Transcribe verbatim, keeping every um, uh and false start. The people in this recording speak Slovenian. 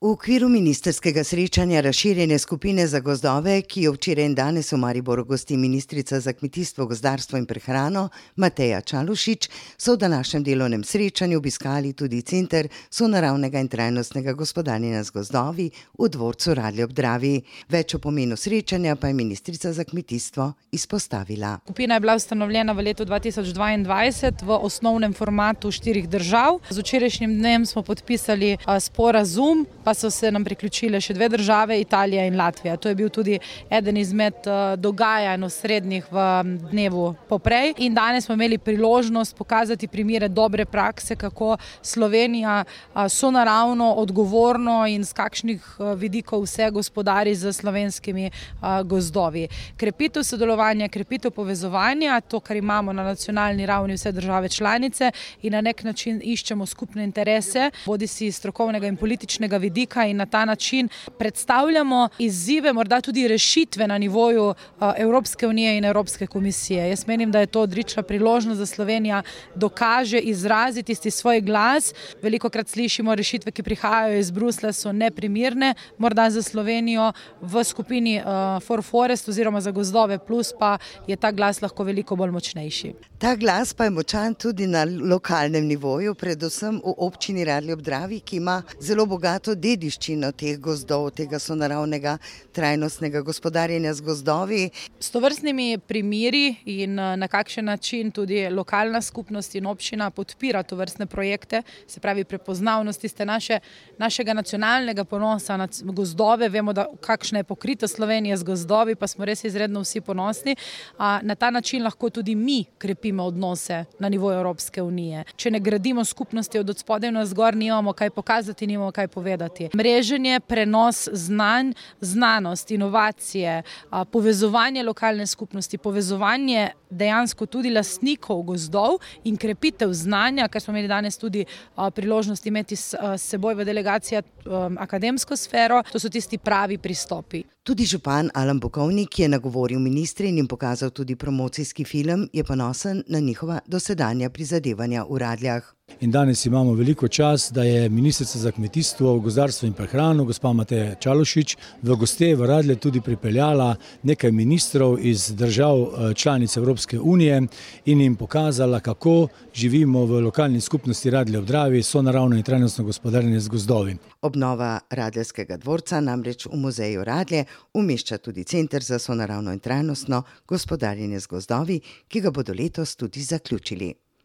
V okviru ministerskega srečanja razširjene skupine za gozdove, ki jo včeraj in danes v Mariboru gosti ministrica za kmetijstvo, gozdarstvo in prehrano Mateja Čalušić, so v današnjem delovnem srečanju obiskali tudi Center sonaravnega in trajnostnega gospodarjenja z gozdovi v dvorcu Radlje ob Dravi. Več o pomenu srečanja pa je ministrica za kmetijstvo izpostavila. Skupina je bila ustanovljena v letu dva tisoč dvaindvajset v osnovnem formatu štirih držav. Z včerajšnjim dnem smo podpisali sporazum, pa so se nam priključile še dve države, Italija in Latvija. To je bil tudi eden izmed dogajanj osrednjih v dnevu poprej. In danes smo imeli priložnost pokazati primere dobre prakse, kako Slovenija sonaravno, odgovorno in z kakšnih vidikov vse gospodari z slovenskimi gozdovi. Krepitev sodelovanja, krepitev povezovanja, to, kar imamo na nacionalni ravni vse države članice in na nek način iščemo skupne interese, bodisi strokovnega in političnega vidika, in na ta način predstavljamo izzive, morda tudi rešitve na nivoju Evropske unije in Evropske komisije. Jaz menim, da je to odlična priložnost, da Slovenija dokaže izraziti tisti svoj glas. Velikokrat slišimo, rešitve, ki prihajajo iz Bruslja, so neprimirne, morda za Slovenijo v skupini For Forest oziroma za gozdove plus pa je ta glas lahko veliko bolj močnejši. Ta glas pa je močan tudi na lokalnem nivoju, predvsem v občini Radlje ob Dravi, ki ima zelo bogato dediščino teh gozdov, tega sonaravnega trajnostnega gospodarjenja z gozdovi. S tovrstnimi primeri in na kakšen način tudi lokalna skupnost in občina podpira tovrstne projekte, se pravi prepoznavnost tiste naše, našega nacionalnega ponosa na gozdove. Vemo, da kakšna je pokrita Slovenija z gozdovi, pa smo res izredno vsi ponosni. Na ta način lahko tudi mi krepimo odnose na nivoju Evropske unije. Če ne gradimo skupnosti od odspodaj na zgor, nimamo kaj pokazati, nimamo kaj povedati. Mreženje, prenos znanj, znanost, inovacije, povezovanje lokalne skupnosti, povezovanje dejansko tudi lastnikov gozdov in krepitev znanja, kar smo imeli danes tudi priložnost imeti s seboj v delegaciji akademsko sfero, to so tisti pravi pristopi. Tudi župan Alan Bukovnik je nagovoril ministre in jim pokazal tudi promocijski film, je ponosen na njihova dosedanja prizadevanja v Radljah. In danes imamo veliko čast, da je ministrica za kmetijstvo, gozdarstvo in prehrano, gospa Mateja Čalušić, v goste v Radlje tudi pripeljala nekaj ministrov iz držav članic Evropske unije in jim pokazala, kako živimo v lokalni skupnosti Radlje ob Dravi, sonaravno in trajnostno gospodarjenje z gozdovi. Obnova Radljskega dvorca namreč v muzeju Radlje umešča tudi Center za sonaravno in trajnostno gospodarjenje z gozdovi, ki ga bodo letos tudi zaključili.